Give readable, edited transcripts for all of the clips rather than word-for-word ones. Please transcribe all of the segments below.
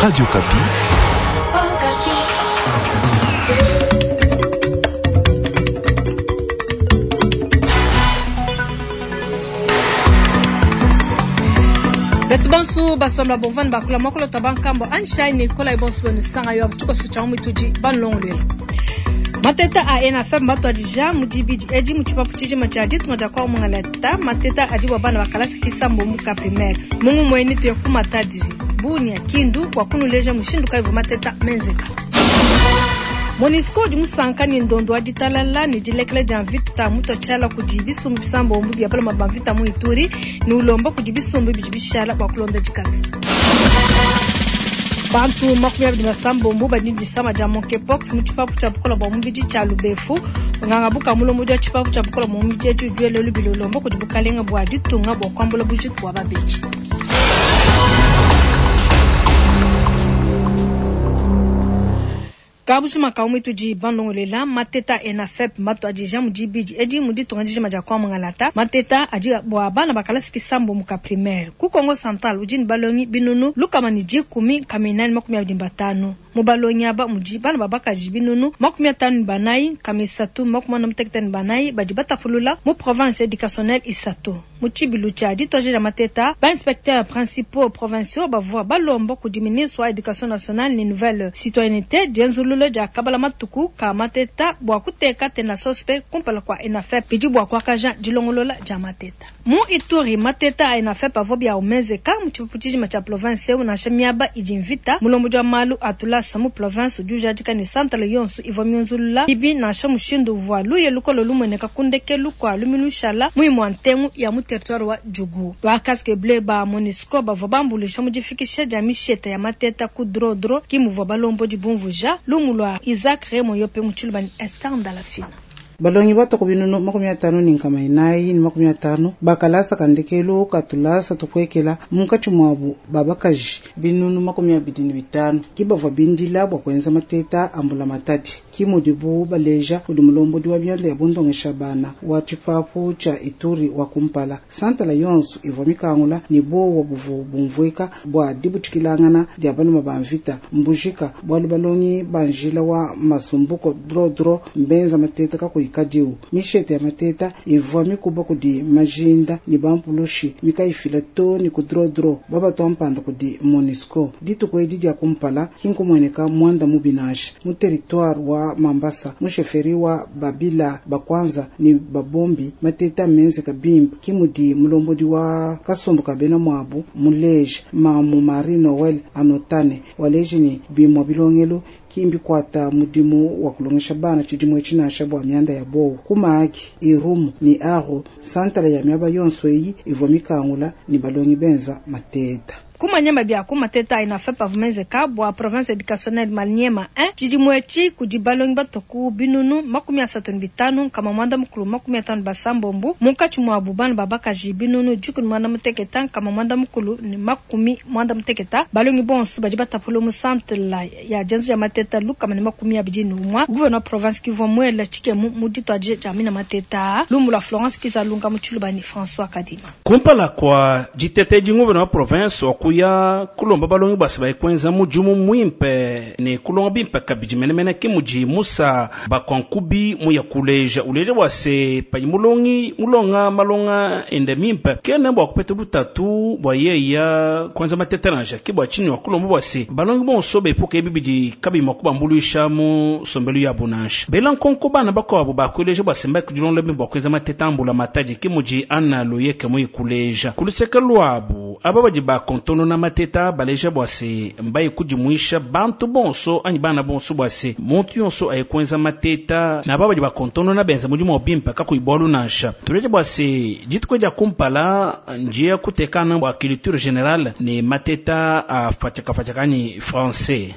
Radio Okapi. Betu bonso basomba bovani bakula mokolo ta bankambo anshine kola bonso benu sanga yo tshikoso tsha mitudi banlongolwela. Mateta a ENAFEP matuadija mu dibidi edi mu tshipapu tshijima tshia ditunga dia kwa mungalata. Mateta adi bua bana ba kalasi kisambo mu ka primaire. Mungu mueni tuye ku Matadi Bunia Kindu kwa kunuleja mushindu kayi mateta menzeka. MONUSCO udi musanka ne ndondo wa ditalala ne dilekela dia mvita mutuatshiala kudi bisumbu bisambombo bia baloma ba mvita mu Ituri ne ulomba kudi bisumbu bidi bishala bua kulonda dikasa. Bantu 26 badi ne disama dia monkeypox mu tshipapu tshia bukola bua mubidi tshia Lubefu. Nganga buka mulombodi wa tshipapu tshia bukola bua mubidi edi udi wela lubila ulomba kudi bukalenga bua ditunga bua kuambula bujitu bua babedi. Kabujima ka umwe tudi bandongolela mateta ENAFEP matuadija mu dibidi edi mu ditunga dijima dia kwa mungalata. Mateta adi bua bana bakalasi kisambo mu ka primaire. Ku Kongo Central udi ne balongi binunu lukama ne dikumi nkama 45. Mu balongi aba mudi bana babakaji binunu 54 344 badi batapulula mu province éducationnelle isatu. Mu tshibilu tshia ditoja dia mateta, ba inspecteurs principaux provinciaux bavua balomba kudi ministre wa éducation nationale ne nouvelle citoyenneté dienzulula dia kabala matuku ka mateta bua kuteka tena sospe kumpala kwa ENAFEP bidi bua kuakaja dilongolola dia mateta. Mu Ituri mateta a ENAFEP avua bia umezeka mu tshipapu tshijima tshia province eu nansha miaba idi mvita. Mulombodi wa malu atulasa mu province udi ujadika ne santale yonso ivua miunzulula bibi nansha mushindu uvua luye lukolo lumueneka ku ndekelu kua luminu shala muimu wa ntengu ya mu territoire wa Djugu. Ba casque bleu ba MONUSCO bavua bambulisha mu difikisha dia misheta ya mateta ku drodro ki muvua balombodi bumvuja lumu lwa Isaac Remo Yope mu tshiluba ne Esther Ndalafina. Balongi batoko binunu 54 450 bakalasa kandekelu katulasa tukwekela munkatshi mwabu babakaji binunu 25 kibavua bindila bua kuenza mateta ambula matadi kimudibu baleja kudi mulombodi wa bianda ya bundongesha bana wa tshipapu tshia Ituri wa kumpala santala yonso ivua mikangula ni bowa buvu bumvuika bua dibutshikilangana dia baluma ba mvita mbujika bualu balongi banjila wa masumbuko drodro mbenza mateta kakuyi kadiu mishete ya mateta ivua mikuba kudi majinda ni bampulushi mikaifila to ni kudrodro babatwa mpanda kudi MONUSCO dituku edi dia kumpala kinkumweneka mwanda mubinasha mu territoire wa Mambasa mu sheferi wa Babila bakwanza ni babombi mateta menzeka bimpe kimudi mulombodi wa kasumbu kabena mwabu muleje mamu Marie Noel anotane waleje ni bimwa bilongelo kimbi kwata mudimu wa kulongesha bana tshidimu tshinasha bua mianda ya bowu kumaki irumu ni aro santala ya miaba yonso eyi ivua mikangula ni balongi benza mateta. Kumanyama bia ku mateta ENAFEP avumezeka bua province éducationnelle Maniema 1 tshidimu etshi kudi balongi batoku binunu 35 956 munkatshi mwabu bana babakaji binunu 19 990 balongi bonso badi batapula mu centre la ya dienza ya mateta 121. Gouverneur province kivua muela tshikemu mu dituadija dia mina mateta lumu lua Florence Kizalunga mu tshilubani François Kadima. Kumpala kwa ditete di gouverneur province wa kuya kulomba balongi basi bayikwenza mudimu mwimpe ne kulonga bimpe kabidi menemene ke mudi Musa bakankubi muya kuleja uleja bwase padi mulongi mulonga malonga ende mimpe kene bua kupeta butatu bua yeya kwanza matete nansha ke bua tshini wa kulomba bwase balongi bonso bepuka ebi bidi kabima kubambuluisha mu sombelu ya bunansha bela nkonko bana bakuabu bakuleja bwase mba kudilonda bimpe bua kuenza matete ambula matadi ke mudi Anna Loyeke muyi kuleja kuluseka lwabu aba badi bakontonona mateta baleja bwase mbaye kudimuisha bantu bonso anyi bana bonso bwase muntu yonso ayekwenza mateta na aba badi bakontonona benza mudimu wa bimpe kakuibwalu nansha tuleja bwase dituku dia kumpala njia kutekana bua culture générale ne mateta afatshakafatshaka anyi français.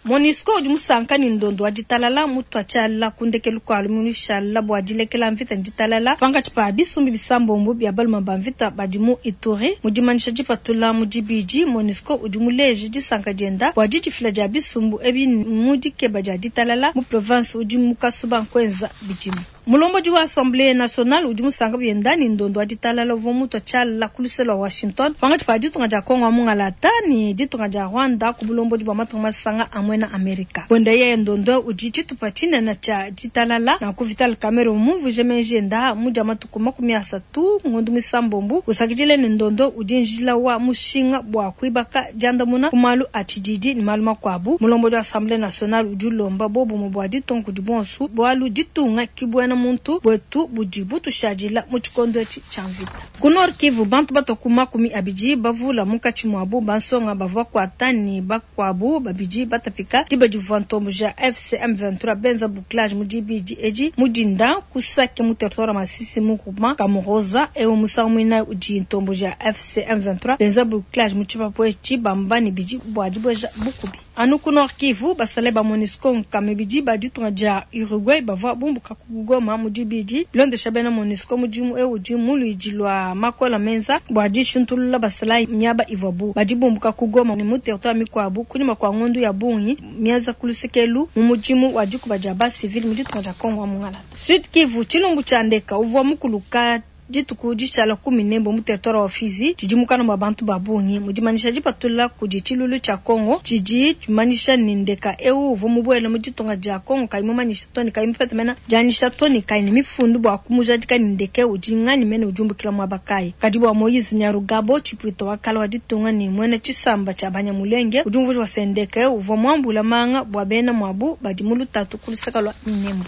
MONUSCO udi musanka ne ndondo wa ditalala mutuatshiala ku ndekelu kua luminushala bua dilekela mvita ne ditalala pankatshi pa bisumbu bisambombo bia baluma ba mvita badi mu Ituri. Mu dimanyisha dipatula mu dibidi, MONUSCO udi muleje disanka dienda bua didifila dia bisumbu ebi mu dikeba dia ditalala mu province udi mu kasuba nkuenza bidimu. Mulombodi wa Assemblee nationale udi musanka bienda ne ndondo wa ditalala uvua mutua tshiala ku luse lua Washington pankatshi pa ditunga dia Congo wa mungalata ne ditunga dia Rwanda ku bulombodi bua matunga masanga a muena Amerika. Buenda yeye ndondo udi tshitupa tshinene tshia ditalala. Nanku Vital Kamerhe mumvuije meji enda mu dia matuku 30 ngondo muisambombo, usakidile ne ndondo udi njila wa mushinga bua kuibaka diandamuna ku malu a tshididi ne malu makuabu. Mulombodi wa Assemblee nationale udi ulomba bobumue bua ditunga kudi bonso, bualu ditunga ki buena muntu buetu budi butushadila mu tshikondo etshi tshia mvita. Ku Nord Kivu, bantu batua ku 20 bavula munkatshi muabu bansonga bavua bakuata ne bakuabu babidi batapika diba divua ntomboji ya AFC M23 benza bouclage mu dibidi edi mu dinda ku Sake mu territoire wa Masisi mu groupement Kamuroza. Eu musangu muinayi udi ntomboji ya AFC M23 benza bouclage mu tshipapu etshi bamba ne bidi bua dibueja bukubi. Anu ku Nord Kivu, basalayi ba MONUSCO nkama ibidi ba ditunga dia Uruguay bavua bumbuka ku Goma mu dibidi. Bilondesha bena MONUSCO, mudimu eu udi mu luidi lua makola menza bua dishintulula basalayi miaba ivuabu badi bumbuka ku Goma ne mu territoire mikuabu kunyima kua ngondu ya bungi mienza ku lusekelu mu mudimu wa dikuba dia ba civil mu ditunga dia Congo wa mungalata. Sud Kivu, tshilumbu tshia ndeka uvua mukuluka dituku dishala ku Minembwe mu territoire wa Fizi tshidi mukana mua bantu ba bungi. Mu dimanyisha dipatula kudi tshilulu tshia Congo tshidi tshimanyisha ne ndeka eu uvua mubuele mu ditunga dia Congo kayi mumanyisha to ne kayi mupete mena dianyisha to ne kayi ne mifundu bua kumujadika ne ndeke udi nganyi mene udi umbukila muaba kayi. Kadi bua Moise Nyarugabo, tshipuita wa kala wa ditunga ne muena tshisamba tshia Banyamulenge, udi umvuija bua se ndeke uvua muambula manga bua bena muabu badi mu lutatu ku luseka lua Minembwe.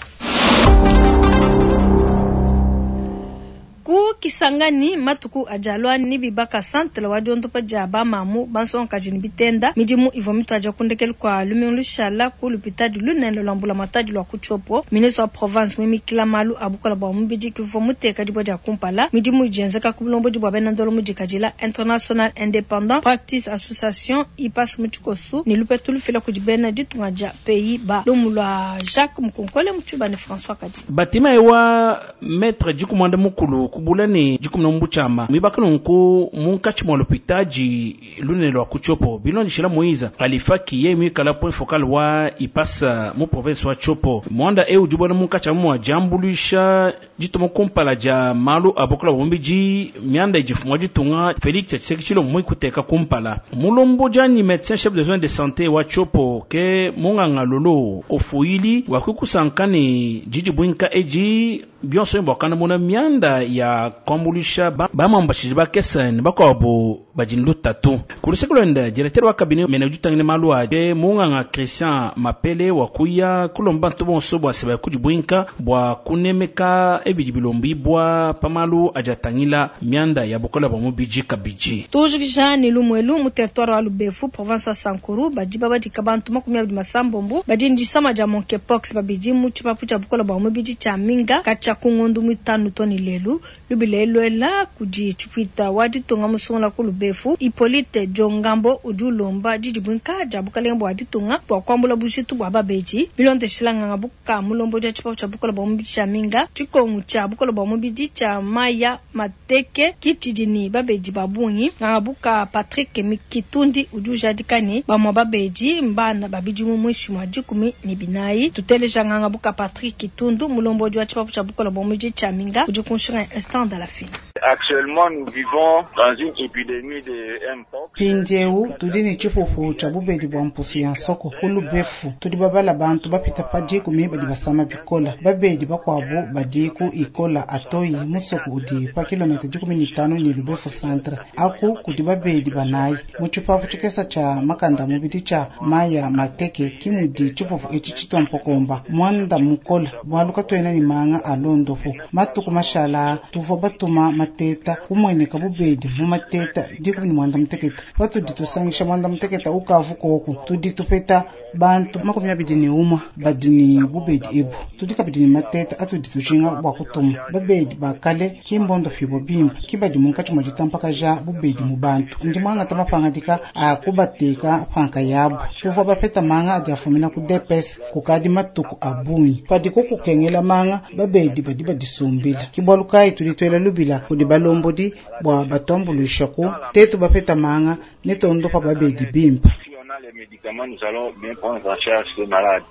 Ku Kisangani, matuku adi alua ne bibaka centre wa diondopa dia bamamu bansongakaji ne bitenda. Midimu ivua mituadija ku ndekelu kua lumingu lushala ku lupitadi lunene lua mbulamatadi lua ku Tshopo. Ministre wa province muimikila malu a bukola bua mubidi kivua muteka dibue dia kumpala. Midimu idi yenzeka ku bulombodi bua bena ndolo mudikadila International Independent Practice Association IPAS mu tshikosu ne lupetu lufila kudi bena ditunga dia Pays-Bas. Lumu lua Jacques Mukonkole mu Tshiba ne François Kadi. Batima ewa metre dikumwanda mukulu kubula ne dikumna mbuchama mwibaka nunku munkatshi mwa lupitaji lunene lwa ku Tshopo bilondeshela Moise Khalifa kiye mwikala point focal wa ipasa mu province wa Tshopo. Mwanda eu udi ubona munkatshi mwa diambuluisha dituma kumpala dia malu a bukola bua mubidi mianda idi mfumu wa ditunga Felix Tshisekedi Tshilombo muikuteka kumpala. Mulombo dianyi médecin chef de zone de santé wa Tshopo ke munganga lolo ofuili wa kukusanka ne didi bwinka edi bionso bua mona mianda ya kuambuluisha bamambashidi bakesa ne bakuabu badi lutatu. Ku luseke luende directeur wa cabinet mene udi utangila malu a munganga Christian Mapele wa kuya kulomba bantu bonso bua se kudi bwinka bua kunemeka ebidi bilombi bua pamalu adi atangila mianda ya bukola bua mubidi kabidi. Tujikija ne lumwelu mu territoire wa Lubefu province wa Sankuru badi babadika bantu 26 badi ndisama dia monkeypox babidi mu tshipapu tshia bukola bua mubidi tshia Minga katshia ku ngondu muitanu to ne lelu. Lubile lwela kudi tshipuita wa ditunga musungula ku Lubefu Hippolyte Djongambo udi ulomba didi bwinka dia bukalenge bua ditunga bua kuambula bujitu bua babedi. Bilondeshela nganga buka mulombo dia tshipapu tshia bukola bua mubidi tshia Minga tshikongu tshia bukola bua mubidi tshia Maya Mateke kitshidi ne babedi ba bungi. Nganga buka Patrick Mikitundi udi ujadika ne bamua babedi mbana babidi mu mwishi mwa 14. Tuteleja nganga buka Patrick Kitundu mulombo wa tshipapu tshia bukola bua mubidi tshia Minga udi kunshinga instant de la fin. Actuellement nous vivons dans une épidémie de mpox. Mpindieu tudi ne tshipupu tshia bubedi bua mpusu ya nsoko ku Lubefu. Tudi babala bantu bapita pa 10 badi basama bikola. Babedi bakuabu badi ku ikola atoyi musoko udi pa kilomita 15 ne Lubefu centre. Aku kudi babedi banayi mu tshipapu tshikesa tshia makanda mubidi tshia Maya Mateke kimudi tshipupu etshi tshitompokomba mwanda mukola bualu katuena ne manga a londopo. Matuku mashala tuvua batuma mateta kumweneka bubedi mu mateta 16. Patudi tusangisha 16 ukavu koku tudi tupeta bantu 21 badi ne bubedi ebu. Tudi kabidi ne mateta atudi tujinga bua kutuma babedi bakale kimbondo fibo bimba kibadi munkatshi mwa ditampakaja bubedi mu bantu. Ndi mwangata mapangadika a kubateka panka yabu. Tuvua bapeta manga adi afumina ku DPS kukadi matuku a bungi. Padi kukengela manga babedi badi badisumbila. Kibwalu kai tudi twela lubila kudi balombodi bua batuambuluisha ku tetu bapeta manga ne tondopa babedi bimpa. Si on a les médicaments, nous allons bien prendre en charge ces malades.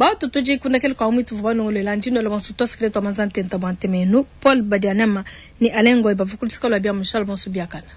Batu tudi kundekelu kua muituvu balongoluela ndi nwela bonso tuasakidila tua manza ntenta bua ntema yenu. Paul Badianema ne Alain Ngoy bavua ku luseka lua bia mushala bonso biakana.